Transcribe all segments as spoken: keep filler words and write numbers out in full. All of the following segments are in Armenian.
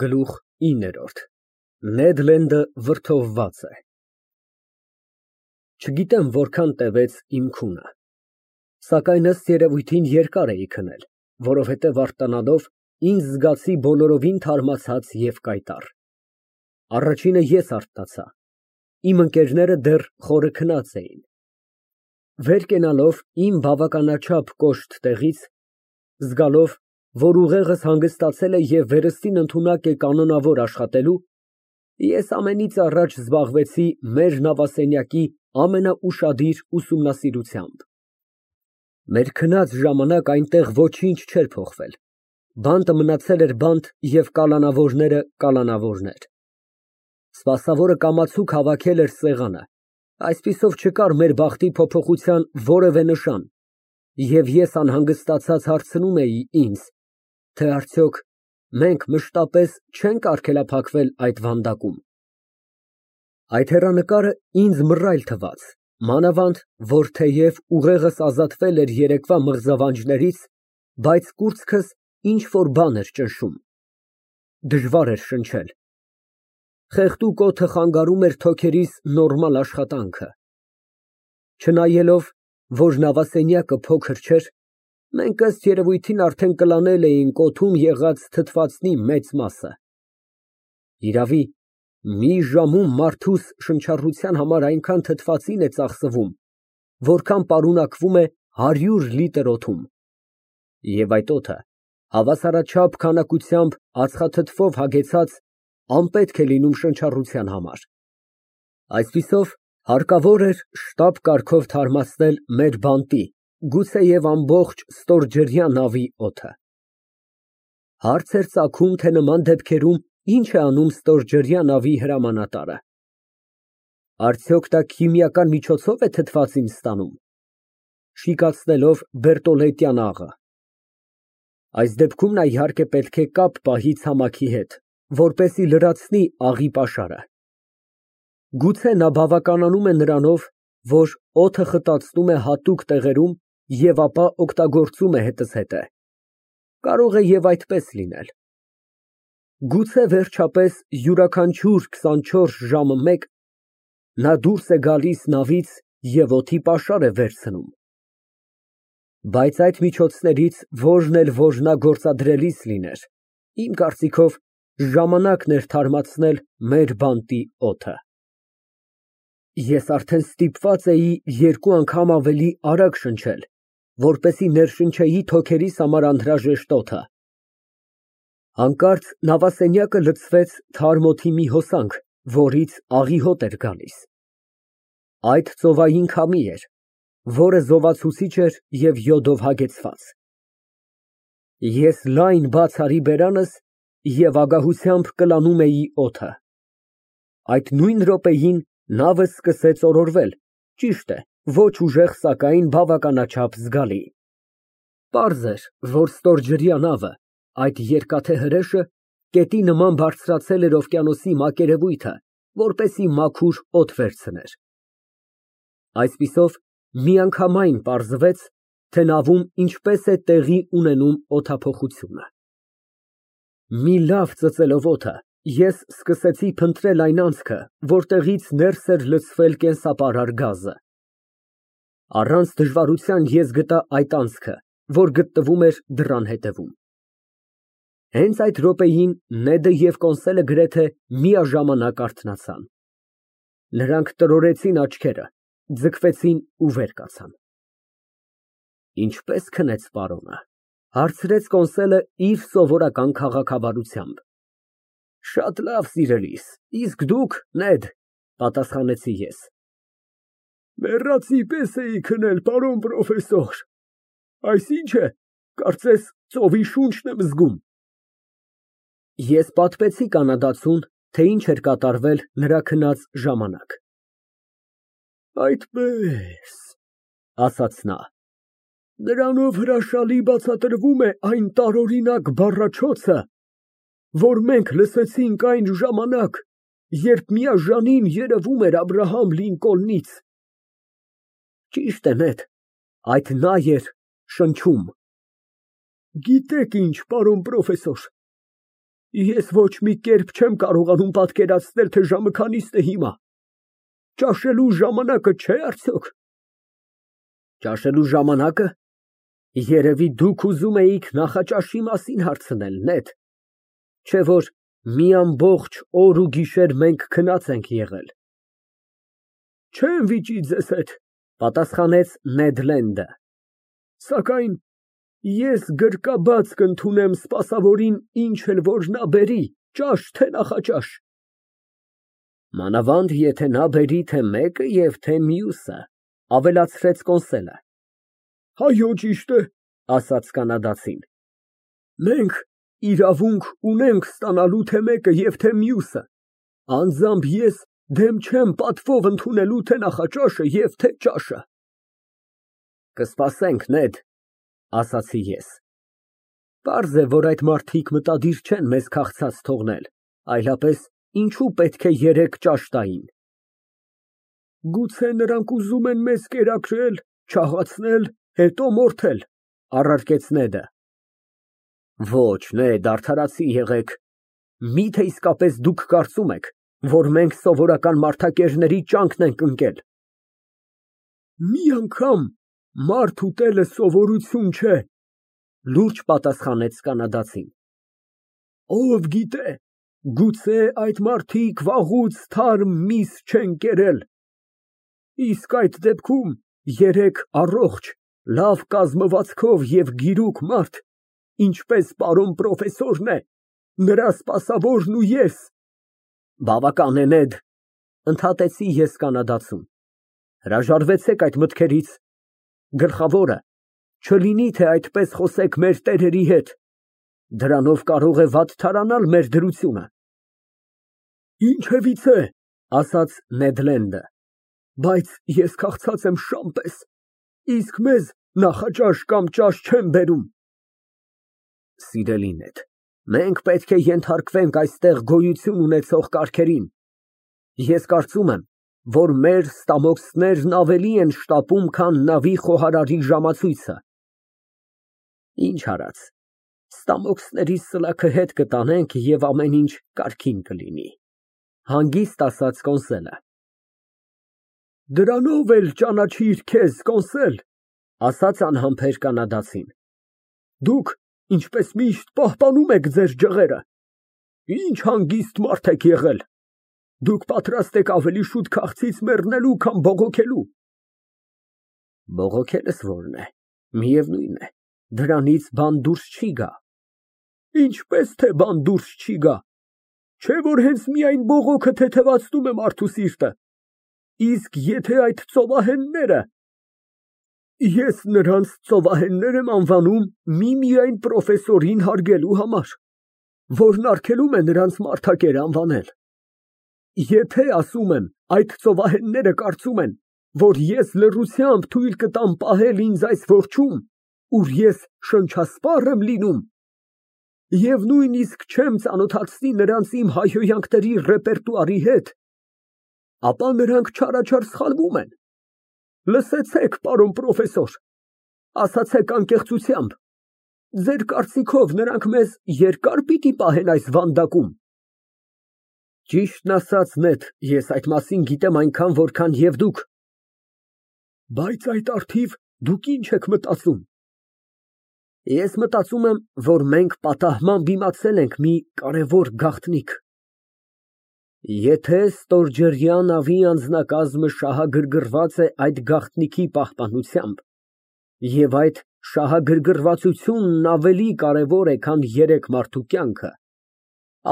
Գլուխ ինը Նեդ Լենդը վրդովված է։ Չգիտեմ որքան տևեց իմ քունը, սակայն ըստ երևույթին երկար էի քնել, որովհետև արթնանալով ինձ զգացի բոլորովին թարմացած և կայտառ։ Առաջինը ես արթնացա, իմ ընկերները դեռ խորը քնած էին։ Վեր կենալով իմ բավականաչափ կոշտ տեղից, զգալով, որ ուղեղս հանգստացել է և վերստին ընդունակ է կանոնավոր աշխատելու, ես ամենից առաջ զբաղվեցի մեր նավասենյակի ամենաուշադիր ուսումնասիրությամբ։ Մեր քնած ժամանակ այնտեղ ոչինչ չէր փոխվել, բանտը մնացել էր բանտ և կալանավորները կալանավորներ։ Սպասավորը կամացուկ հավաքել էր սեղանը, այսպիսով չկար մեր բախտի փոփոխության որևէ նշան, և ես անհանգստացած հարցնում էի ինձ, թե արդյոք մենք մշտապես չենք արգելափակվել այդ վանդակում։ Այդ հեռանկարը ինձ մռայլ թվաց, մանավանդ, որ թեև ուղեղս ազատվել էր երեկվա մղձավանջներից, բայց կուրծքս ինչ֊որ բան էր ճնշում։ Դժվար էր շնչել։ Խեղդուկ օդը խանգարում էր թոքերիս նորմալ աշխատանքը։ Չնայելով, որ նավասենյակը փոքր չէր, մենք ըստ երևույթին արդեն կլանել էինք օդում եղած թթվածնի մեծ մասը։ Իրավի, մի ժամում մարդուս շնչառության համար այնքան թթվածին է ծախսվում, որքան պարունակվում է հարյուր լիտր օդում, և այդ օդը հավասարաչափ քանակությամբ ածխաթթվով հագեցած անպետք է լինում շնչառության համար։ Այսպիսով, հարկավոր էր շտապ կարգով թարմացնել մեր բանտի, գուցեև ամբողջ ստորջրյա նավի օդը։ Հարց էր ծագում, թե նման դեպքերում ինչ է անում ստորջրյա նավի հրամանատարը։ Արդյոք դա քիմիական միջոցով է թթվածին ստանում, շիկացնելով բերտոլետյան աղը։ Այս դեպքում նա, իհարկե, պետք է կապ պահի ցամաքի հետ, որպեսզի լրացնի աղի պաշարը։ Գուցե նա բավականանում է նրանով, որ օդը խտացնում է հատուկ տեղերում և ապա օգտագործում է հետզհետե։ Կարող է և այդպես լինել։ Գուցե, վերջապես, յուրաքանչյուր քսանչորս ժամը մեկ նա դուրս է գալիս նավից և օդի պաշար է վերցնում։ Բայց այդ միջոցներից որն էլ որ նա գործադրելիս լիներ, իմ կարծիքով, ժամանակն էր թարմացնել մեր բանտի օդը։ Ես արդեն ստիպված էի երկու անգամ ավելի արագ շնչել, որպեսզի ներշնչեի թոքերիս համար անհրաժեշտ օդը։ Հանկարծ նավասենյակը լցվեց թարմ օդի մի հոսանք, որից աղի հոտ էր գալիս։ Այդ ծովային քամի էր, որը զովացուցիչ էր և յոդով հագեցված։ Ես լայն բաց արի բերանս և ագահությամբ կլանում էի օդը։ Այդ նույն րոպեին նավը սկսեց օրորվել, ճիշտ է, ոչ ուժեղ, սակայն բավականաչափ զգալի։ Պարզ էր, որ ստորջրյա նավը, այդ երկաթե հրեշը, կետի նման բարձրացել էր օվկիանոսի մակերևույթը, որպեսզի մաքուր օդ վերցներ։ Այսպիսով, միանգամայն պարզվեց, թե նավում ինչպես է տեղի ունենում օդափոխությունը։ Մի լավ ծծելով օդը, ես սկսեցի փնտրել այն անցքը, որտեղից ներս էր լցվել կենսապարար գազը։ Առանց դժվարության ես գտա այդ անցքը, որ գտնվում էր դռան հետևում։ Հենց այդ րոպեին Նեդը և Կոնսելը գրեթե միաժամանակ արթնացան։ Նրանք տրորեցին աչքերը, ձգվեցին ու վեր կացան։ Ինչպե՞ս քնեց պարոնը, ֊ հարցրեց Կոնսելը իր սովորական քաղաքավարությամբ։ Շատ լավ, սիրելիս, իսկ դուք, Նեդ, ֊ պատասխանեցի ես։ Մեռածի պես էի քնել, պարոն պրոֆեսոր, այսինչ է, կարծես ծովի շունչն եմ զգում։ Ես պատմեցի կանադացուն, թե ինչ էր կատարվել նրա քնած ժամանակ։ Այդպես, ֊ ասաց նա, նրանով հրաշալի բացատրվում է այն տարօրինակ բառաչոցը, որ մենք լսեցինք այն ժամանակ, երբ միաժամանին երևում էր Աբրահամ Լինկոլնից։ Ճիշտ է, Նեդ, այդ նա էր շնչում։ Գիտեք ինչ, պարոն պրոֆեսոր, Ես ոչ մի կերպ չեմ կարողանում պատկերացնել, թե ժամը քանիսն է հիմա։ Ճաշելու ժամանակը չէ՞ արդյոք։ Ճաշելու ժամանակը։ Երևի դուք ուզում էիք նախաճաշի մասին հարցնել, նեթ, չէ՞ որ մի ամբողջ օր ու գիշեր մենք քնած ենք եղել։ Չեմ վիճի ձեզ հետ, պատասխանեց Նեդ Լենդը, սակայն ես գրկաբաց կընդունեմ սպասավորին ինչ էլ որ նա բերի, ճաշ թե նախաճաշ։ Մանավանդ եթե նա բերի թե մեկը և թե մյուսը, ավելացրեց Կոնսելը։ Հայո, ճիշտ է, ասաց կանադացին։ Մենք իրավունք ունենք ստանալու թե մեկը և թե մյուսը, անձամբ ես դեմ չեմ պատվով ընդունելու թե նախաճաշը և թե ճաշը։ Կսպասենք, Նեդ, ասացի ես։ Պարզ է, որ այդ մարդիկ մտադիր չեն մեզ քաղցած թողնել, այլապես ինչու պետք է երեք ճաշ տային։ Գուցե նրանք ուզում են մեզ կերակրել, չաղացնել, հետո մորթել, առարկեց Նեդը։ Ոչ, Նեդ, արդարացի եղեք, միթե իսկապես դուք կարծում եք, որ մենք սովորական մարդակերների ճանկն ենք ընկել։ Մի անգամ մարդ ուտելը սովորություն չէ, լուրջ պատասխանեց կանադացին։ Ով գիտե, գուցե այդ մարդիկ վաղուց թարմ միս չեն կերել։ Իսկ այդ դեպքում երեք առողջ, լավ կազմվածքով և գիրուկ մարդ, ինչպես պարոն պրոֆեսորն է, նրա սպասավորն ու ես։ Բավական է, Նեդ, ընդհատեցի ես կանադացուն, հրաժարվեցեք այդ մտքերից, գլխավորը, չլինի թե այդպես խոսեք մեր տերերի հետ, դրանով կարող է վատթարանալ մեր դրությունը։ Ինչևիցե, ասաց Նեդ Լենդը, բայց ես քաղցած եմ շան պես, իսկ մեզ նախաճաշ կամ ճաշ չեն բերում։ Սիրելի Նեդ, մենք պետք է ենթարկվենք այստեղ գոյություն ունեցող կարգերին։ Ես կարծում եմ, որ մեր ստամոքսներն ավելի են շտապում, քան նավի խոհարարի ժամացույցը։ Ինչ արած, ստամոքսների սլաքը հետ կտանենք և ամեն ինչ կարգին կլինի, հանգիստ ասաց Կոնսելը։ Դրանով էլ ճանաչիր քեզ, Կոնսել, ասաց անհամբեր կանադացին։ Դուք, ինչպես միշտ, պահպանում եք ձեր ջղերը։ Ինչ հանգիստ մարդ եք եղել։ Դուք պատրաստ եք ավելի շուտ քաղցից մեռնելու, քան բողոքելու։ Բողոքելս որն է, միևնույն է, դրանից բան դուրս չի գա։ Ինչպես թե բան դուրս չի գա, չէ որ հենց միայն բողոքը թեթևացնում է մարդու սիրտը։ Իսկ եթե այդ ծովահենները… Ես նրանց ծովահեններ եմ անվանում միմիայն պրոֆեսորին հարգելու համար, որն արգելում է նրանց մարդակեր անվանել։ Եթե, ասում եմ, այդ ծովահենները կարծում են, որ ես լռությամբ թույլ կտամ պահել ինձ այս որջում, ուր ես շնչասպառ եմ լինում, և նույնիսկ չեմ ծանոթացնի նրանց իմ հայհոյանքների ռեպերտուարի հետ, ապա նրանք չարաչար սխալվում են։ Լսեցեք, պարոն պրոֆեսոր, ասացեք անկեղծությամբ, ձեր կարծիքով նրանք մեզ երկա՞ր պիտի պահեն այս վանդակում։ Ճիշտն ասած, Նեդ, ես այդ մասին գիտեմ այնքան, որքան և դուք։ Բայց այդ առթիվ դուք ինչ եք մտածում։ Ես մտածում եմ, որ մենք պատահմամբ իմացել ենք մի կարևոր գաղտնիք։ Եթե ստորջրյա նավի անձնակազմը շահագրգռված է այդ գաղտնիքի պահպանությամբ, և այդ շահագրգռվածությունն ավելի կարևոր է, քան երեք մարդու կյանքը,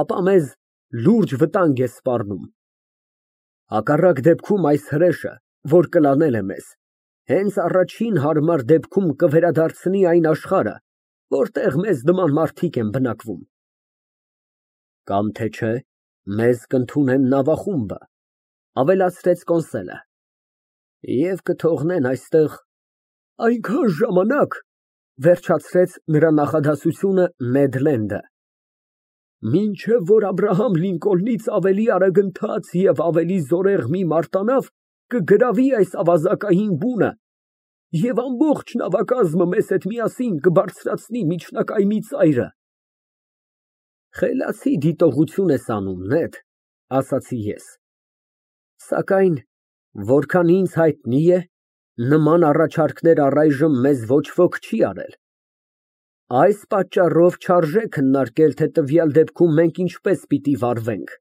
ապա մեզ լուրջ վտանգ է սպառնում։ Հակառակ դեպքում այս հրեշը, որ կլանել է մեզ, հենց առաջին հարմար դեպքում կվերադարձնի այն աշխարհը, որտեղ մեզ նման մարդիկ են բնակվում։ Կամ թե չէ, մեզ կընդունեն նավախումբը, ավելացրեց Կոնսելը, և կթողնեն այստեղ այնքան ժամանակ, վերջացրեց նրա նախադասությունը Նեդ Լենդը, մինչև որ Աբրահամ Լինկոլնից ավելի արագընթաց և ավելի զորեղ մի մարտանավ կգրավի այս ավազակային բունը և ամբողջ նավակազմը մեզ հետ միասին կբարձրացնի միջնակայմի ծայրը։ Խելացի դիտողություն ես անում, Նեդ, ասացի ես, սակայն որքան ինձ հայտնի է, նման առաջարկներ առայժմ մեզ ոչ ոք չի արել։ Այս պատճառով չարժե քննարկել, թե տվյալ դեպքում մենք ինչպես պիտի վարվենք։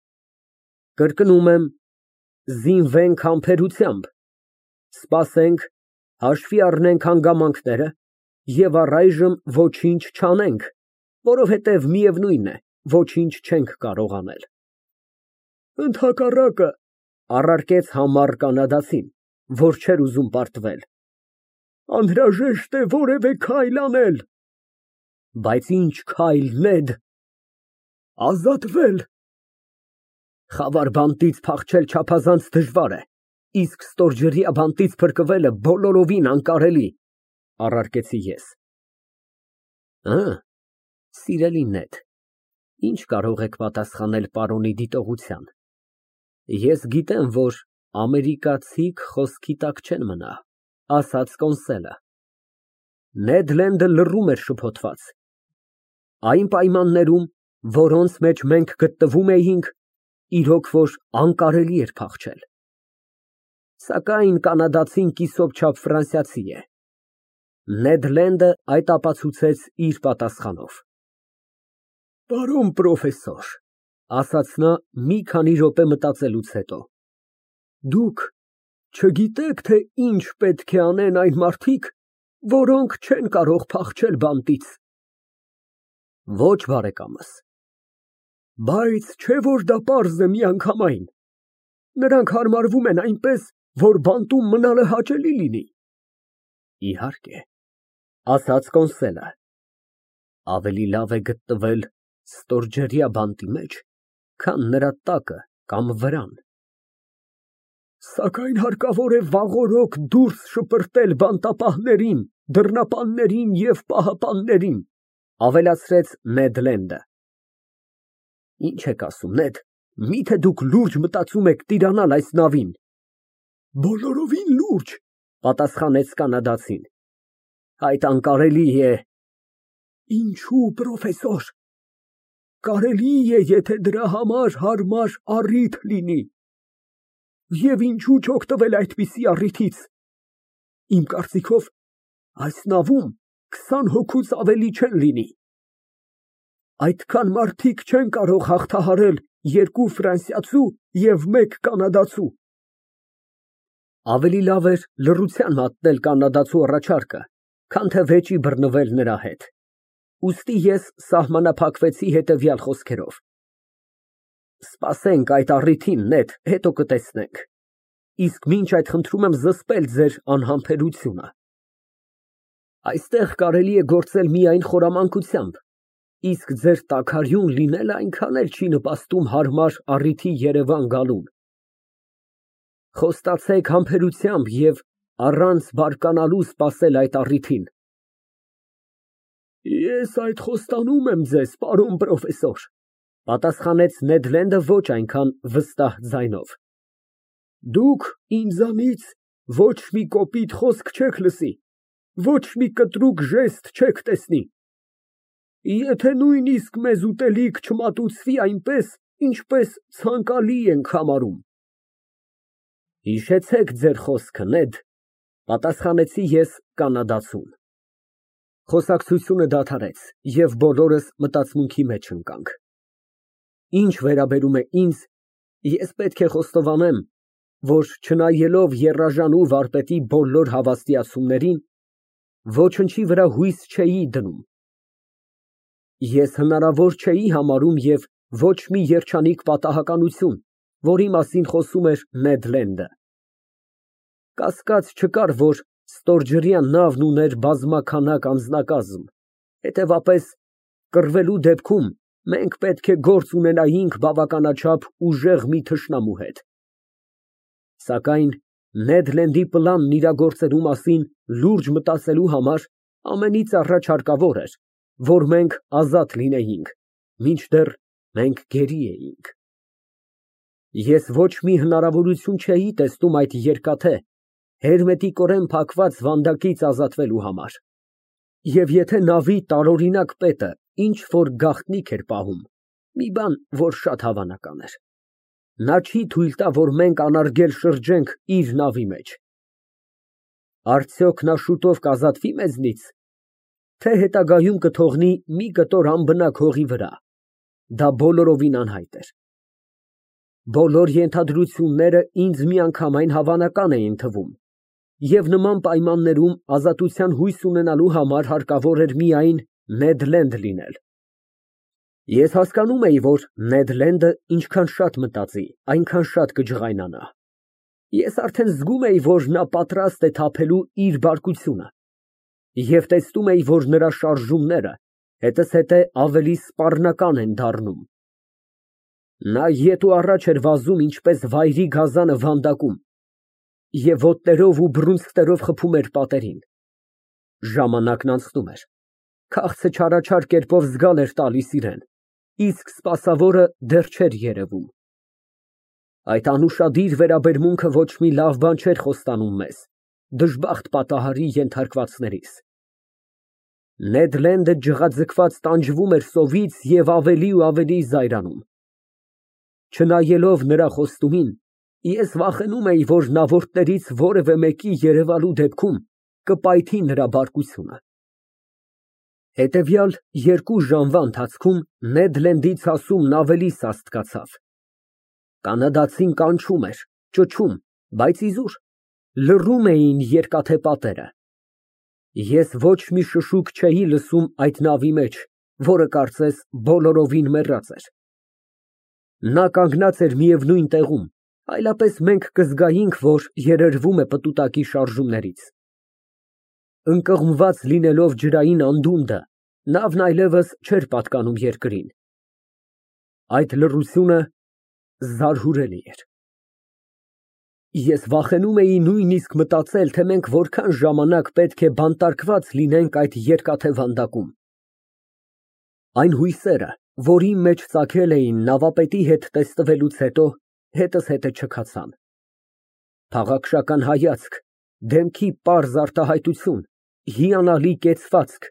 Կրկնում եմ, զինվենք համբերությամբ, սպասենք, հաշվի առնենք հանգամանքները և առայժմ ոչինչ չանենք, որովհետև միևնույն է, ոչինչ չենք կարող անել։ Ընդհակառակը, առարկեց համառ կանադացին, որ չէր ուզում պարտվել, անհրաժեշտ է որևէ քայլ անել։ Բայց ինչ քայլ, Նեդ։ Ազատվել։ Խավար բանտից փախչել չափազանց դժվար է, իսկ ստորջրյա բանտից փրկվելը բոլորովին անկարելի, առարկեցի ես։ Ա, սիրելի Նեդ, ինչ կարող եք պատասխանել պարոնի դիտողության։ Ես գիտեմ, որ ամերիկացիք խոսքի տակ չեն մնա, ասաց կոնսոլը։ Նեդ Լենդը լռում էր շփոթված։ Այն պայմաններում, որոնց մեջ մենք գտնվում էինք, իրոք որ անկարելի էր փախչել։ Սակայն կանադացին կիսոպչափ ֆրանսիացի է։ Նեդ Լենդը այդ ապացուցեց իր պատասխանով։ Պարոն պրոֆեսոր, ասաց նա մի քանի րոպե մտածելուց հետո, դուք չգիտեք, թե ինչ պետք է անեն այն մարդիկ, որոնք չեն կարող փախչել բանտից։ Ոչ, բարեկամս։ Բայց չէ որ դա պարզ է միանգամայն։ Նրանք հարմարվում են այնպես, որ բանտում մնալը հաճելի լինի։ Իհարկե, ասաց կոնսոլը, ավելի լավ է գտնվել ստորջրյա բանտի մեջ, քան նրա տակը կամ վրան։ Սակայն հարկավոր է վաղօրոք դուրս շպրտել բանտապահներին, դռնապաններին և պահապաններին, ավելացրեց Նեդ Լենդը։ Ինչ եք ասում, Նեդ, միթե դուք լուրջ մտածում եք տիրանալ այս նավին։ Բոլորովին լուրջ, պատասխանեց կանադացին։ Այդ անկարելի է։ Ինչու, պրոֆեսոր։ Կարելի է, եթե դրա համար հարմար առիթ լինի։ Եվ ինչու չօգտվել այդպիսի առիթից։ Իմ կարծիքով, այս նավում քսան հոգուց ավելի չեն լինի։ Այդքան մարդիկ չեն կարող հաղթահարել երկու ֆրանսիացու և մեկ կանադացու։ Ավելի լավ էր լռության մատնել կանադացու առաջարկը, քան թե վեճի բռնվել նրա հետ։ Ուստի ես սահմանափակվեցի հետևյալ խոսքերով. Սպասենք այդ առիթին, Նեդ, հետո կտեսնենք։ Իսկ մինչ այդ խնդրում եմ զսպել ձեր անհամբերությունը։ Այստեղ կարելի է գործել միայն խորամանկությամբ, իսկ ձեր տաքարյուն լինելը այնքան էլ չի նպաստում հարմար առիթի երևան գալուն։ Խոստացեք համբերությամբ և առանց բարկանալու սպասել այդ առիթին։ Ես այդ խոստանում եմ ձեզ, պարոն պրոֆեսոր, պատասխանեց Նեդ Լենդը ոչ այնքան վստահ ձայնով։ Դուք ինձանից ոչ մի կոպիտ խոսք չեք լսի, ոչ մի կտրուկ ժեստ չեք տեսնի։ Եթե նույնիսկ մեզ ուտելիք չմատուցվի այնպես, ինչպես ցանկալի ենք համարում։ Հիշեցեք ձեր խոսքը, Նեդ, պատասխանեցի ես կանադացուն։ Խոսակցությունը դադարեց, և բոլորս մտածմունքի մեջ ընկանք։ Ինչ վերաբերում է ինձ, ես պետք է խոստովանեմ, որ չնայելով եռաժանու վարպետի բոլոր հավաստիացումներին, ոչնչի վրա հույս չէի դնում։ Ես հնարավոր չէի համարում և ոչ մի երջանիկ պատահականություն, որի մասին խոսում էր Նեդ Լենդը։ Կասկած չկար, որ ստորջրյա նավն ուներ բազմաքանակ անձնակազմ, հետևապես կռվելու դեպքում մենք պետք է գործ ունենայինք բավականաչափ ուժեղ մի թշնամու հետ։ Սակայն Նեդ Լենդի պլանն իրագործելու մասին լուրջ մտածելու համար ամենից առաջ հարկավոր էր, որ մենք ազատ լինեինք, մինչդեռ մենք գերի էինք։ Ես ոչ մի հնարավորություն չէի տեսնում այդ երկաթե, հերմետիկորեն փակված վանդակից ազատվելու համար։ Եվ եթե նավի տարօրինակ պետը ինչ որ գաղտնիք էր պահում, մի բան, որ շատ հավանական էր։ Նա չի թույլ տա, որ մենք անարգել շրջենք իր նավի մեջ։ Արդյոք նա շուտով կազատվի մեզնից, թե հետագայում կթողնի մի կտոր անբնակ հողի վրա, դա բոլորովին անհայտ էր։ Բոլոր ենթադրությունները ինձ միանգամայն հավանական էին թվում, և նման պայմաններում ազատության հույս ունենալու համար հարկավոր էր միայն Նեդ Լենդ լինել։ Ես հասկանում էի, որ Նեդ Լենդը ինչքան շատ մտածի, այնքան շատ կջղայնանա։ Ես արդեն զգում էի, որ նա պատրաստ է թափելու իր բարկությունը, և տեսնում էի, որ նրա շարժումները հետզհետե ավելի սպառնական են դառնում։ Նա ետ ու առաջ էր վազում ինչպես վայրի գազանը վանդակում և ոտներով ու բռունցքներով խփում էր պատերին։ Ժամանակն անցնում էր, քաղցը չարաչար կերպով զգալ էր տալիս իրան, իսկ սպասավորը դեռ չէր երևում։ Այդ անուշադիր վերաբերմունքը ոչ մի լավ բան չէր խոստանում մեզ, դժբախտ պատահարի ենթարկվածներից։ Նեդ Լենդը ջղաձգված տանջվում էր սովից և ավելի ու ավելի զայրանում։ Չնայելով նրա խոստումին, ես վախենում էի, որ նավորդներից որևէ մեկի երևալու դեպքում կպայթի նրա բարկությունը։ Հետևյալ երկու ժամվա ընթացքում Նեդ Լենդի ցասումն ավելի սաստկացավ։ Կանադացին կանչում էր, ճչում, բայց իզուր, լռում էին երկաթե պատերը։ Ես ոչ մի շշուկ չէի լսում այդ նավի մեջ, որը կարծես բոլորովին մեռած էր։ Նա կանգնած էր միևնույն տեղում, այլապես մենք կզգայինք, որ երերվում է պտուտակի շարժումներից։ Ընկղմված լինելով ջրային անդունդը, նավն այլևս չէր պատկանում երկրին։ Այդ լռությունը զարհուրելի էր։ Ես վախենում էի նույնիսկ մտածել, թե մենք որքան ժամանակ պետք է բանտարկված լինենք այդ երկաթե վանդակում։ Այն հույսերը, որ իմ մեջ ծագել էին նավապետի հետ տեսնվելուց հետո, հետզհետե չքացան։ Փաղաքշական հայացք, դեմքի պարզ արտահայտություն, հիանալի կեցվածք,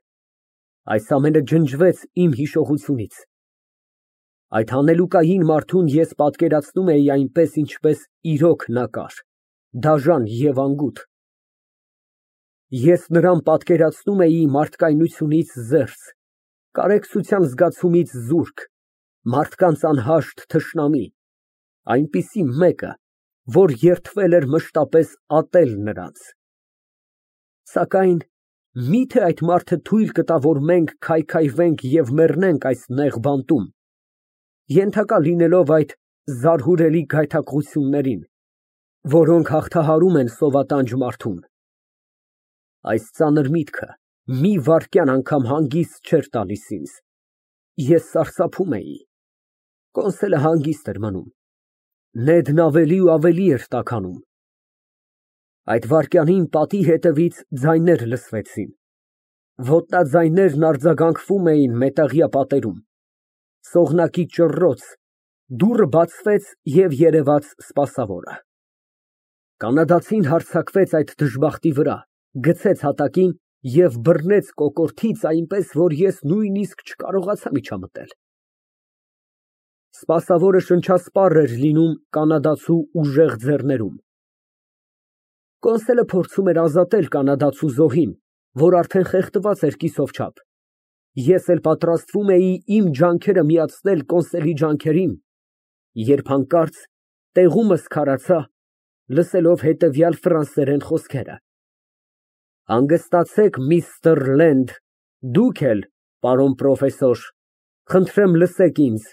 այս ամենը ջնջվեց իմ հիշողությունից։ Այդ հանելուկային մարդուն ես պատկերացնում էի այնպես, ինչպես իրոք նա կար, դաժան և անգութ։ Ես նրան պատկերացնում էի մարդկայնությունից զերծ, կարեկցության զգացումից զուրկ, մարդկանց անհաշտ թշնամի, այնպիսի մեկը, որ երդվել էր մշտապես ատել նրանց։ Սակայն մի՞թե այդ մարդը թույլ կտա, որ մենք քայքայվենք և մեռնենք այս նեղ բանտում, ենթակա լինելով այդ զարհուրելի գայթակղություններին, որոնք հաղթահարում են սովատանջ մարդուն։ Այս ծանր միտքը մի վայրկյան անգամ հանգիստ չէր տալիս ինձ։ Ես սարսափում էի։ Կոնսոլը հանգիստ էր մնում։ Նեդն ավելի ու ավելի էր տաքանում։ Այդ վայրկյանին պատի հետևից ձայներ լսվեցին։ Ոտնաձայներն արձագանքվում էին մետաղյա պատերում։ Սողնակի ճռռոց, դուռը բացվեց և երևաց սպասավորը։ Կանադացին հարձակվեց այդ դժբախտի վրա, գցեց հատակին և բռնեց կոկորդից այնպես, որ ես նույնիսկ չկարողացա միջամտել։ Սպասավորը շնչասպառ էր լինում կանադացու ուժեղ ձեռներում։ Կոնսոլը փորձում էր ազատել կանադացու զոհին, որ արդեն խեղդված էր կիսով չափ։ Ես էլ պատրաստվում էի իմ ջանքերը միացնել Կոնսոլի ջանքերին, երբ հանկարծ տեղումս քարացա, լսելով հետևյալ ֆրանսերեն խոսքերը. Հանգստացեք, միստր Լենդ, դուք էլ, պարոն պրոֆեսոր, խնդրեմ լսեք ինձ։